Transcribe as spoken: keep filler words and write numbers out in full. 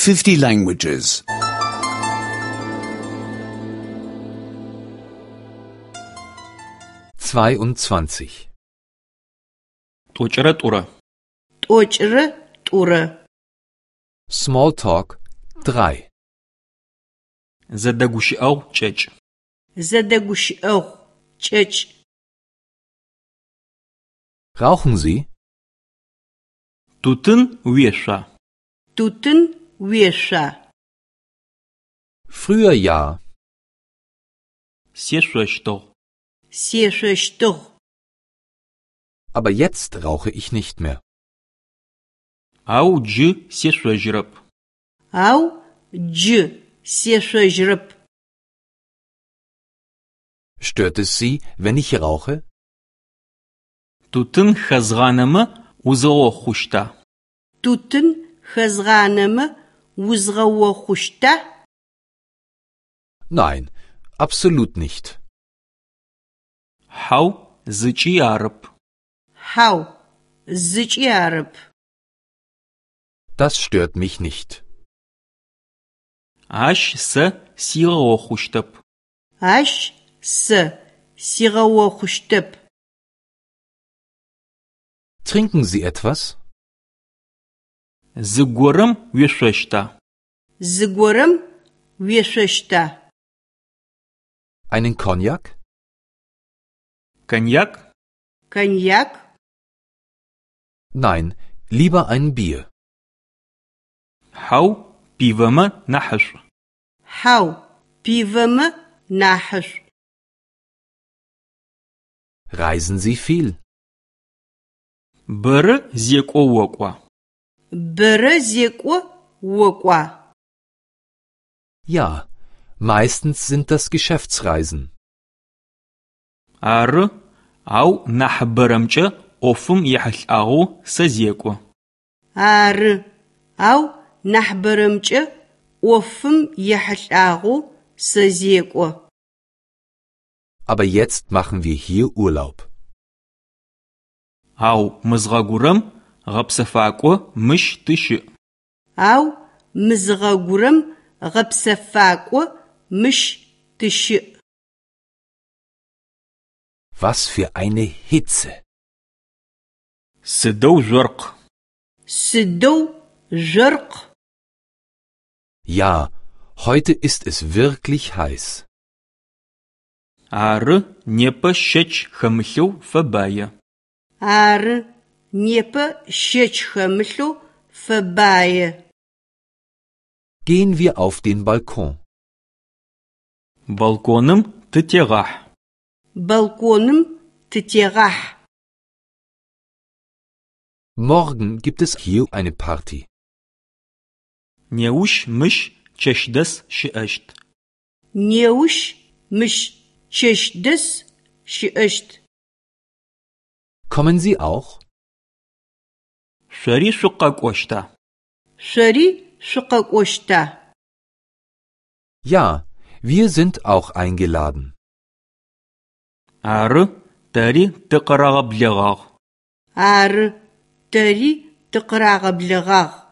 fifty languages. zweiundzwanzig Тӏокӏырэ тӏурэ. Тӏокӏырэ тӏурэ. Smalltalk drei. Зэдэгущыӏэгъу кӏэкӏ. Зэдэгущыӏэгъу кӏэкӏ. Rauchen Sie? Тутын уешъуа? Тутын уешъуа? Früher ja. Сешъощтыгъ. Сешъощтыгъ. Aber jetzt rauche ich nicht mehr. Ау джы сешъожьырэп. Ау джы сешъожьырэп. Stört es Sie, wenn ich rauche? Тутын хэзгъанэмэ узгъэохъущта? Тутын хэзгъанэмэ узгъэохъущта? Nein, absolut nicht. Хьау, зыкӏи арэп. Хьау, зыкӏи арэп. Das stört mich nicht. Ащ сэ сигъэохъущтэп. Ащ сэ сигъэохъущтэп. Trinken Sie etwas? Зыгорэм уешъощта? Зыгорэм уешъощта? Einen Cognac? Коньяк? Коньяк? Nein, lieber ein Bier. Хьау, пивэмэ нахьышӏу. Хьау, пивэмэ нахьышӏу. Reisen Sie viel? Бэрэ зекӏо окӏуа? Бэрэ зекӏо окӏуа? Ja, meistens sind das Geschäftsreisen. Ары, ау нахьыбэрэмкӏэ ӏофым ехьылӏагъэу сэ зекӏо. Ары, ау нахьыбэрэмкӏэ ӏофым ехьылӏагъэу сэ зекӏо. Aber jetzt machen wir hier Urlaub. Ау мызгъэгурэм гъэпсэфакӏо мыщ тыщыӏ. Ау мызгъэгурэм гъэпсэфакӏо мыщ тыщыӏ. Was für eine Hitze! Сыдэу жъоркъ. Сыдэу жъоркъ. Ja, heute ist es wirklich heiß. Ары, непэ щэч хэмылъэу фэбае. Ары, непэ щэч хэмылъэу фэбае. Gehen wir auf den Balkon. Балконым тытегъахь. Балконым тытегъахь. Morgen gibt es hier eine Party. Неущ мыщ чэщдэс щыӏэщт. Неущ мыщ чэщдэс щыӏэщт. Kommen Sie auch? Шъори шъукъэкӏощта? Шъори шъукъэкӏощта? Ja, wir sind auch eingeladen. Ары, тэри тыкъырагъэблэгъагъ. Ары, тэри тыкъырагъэблэгъагъ.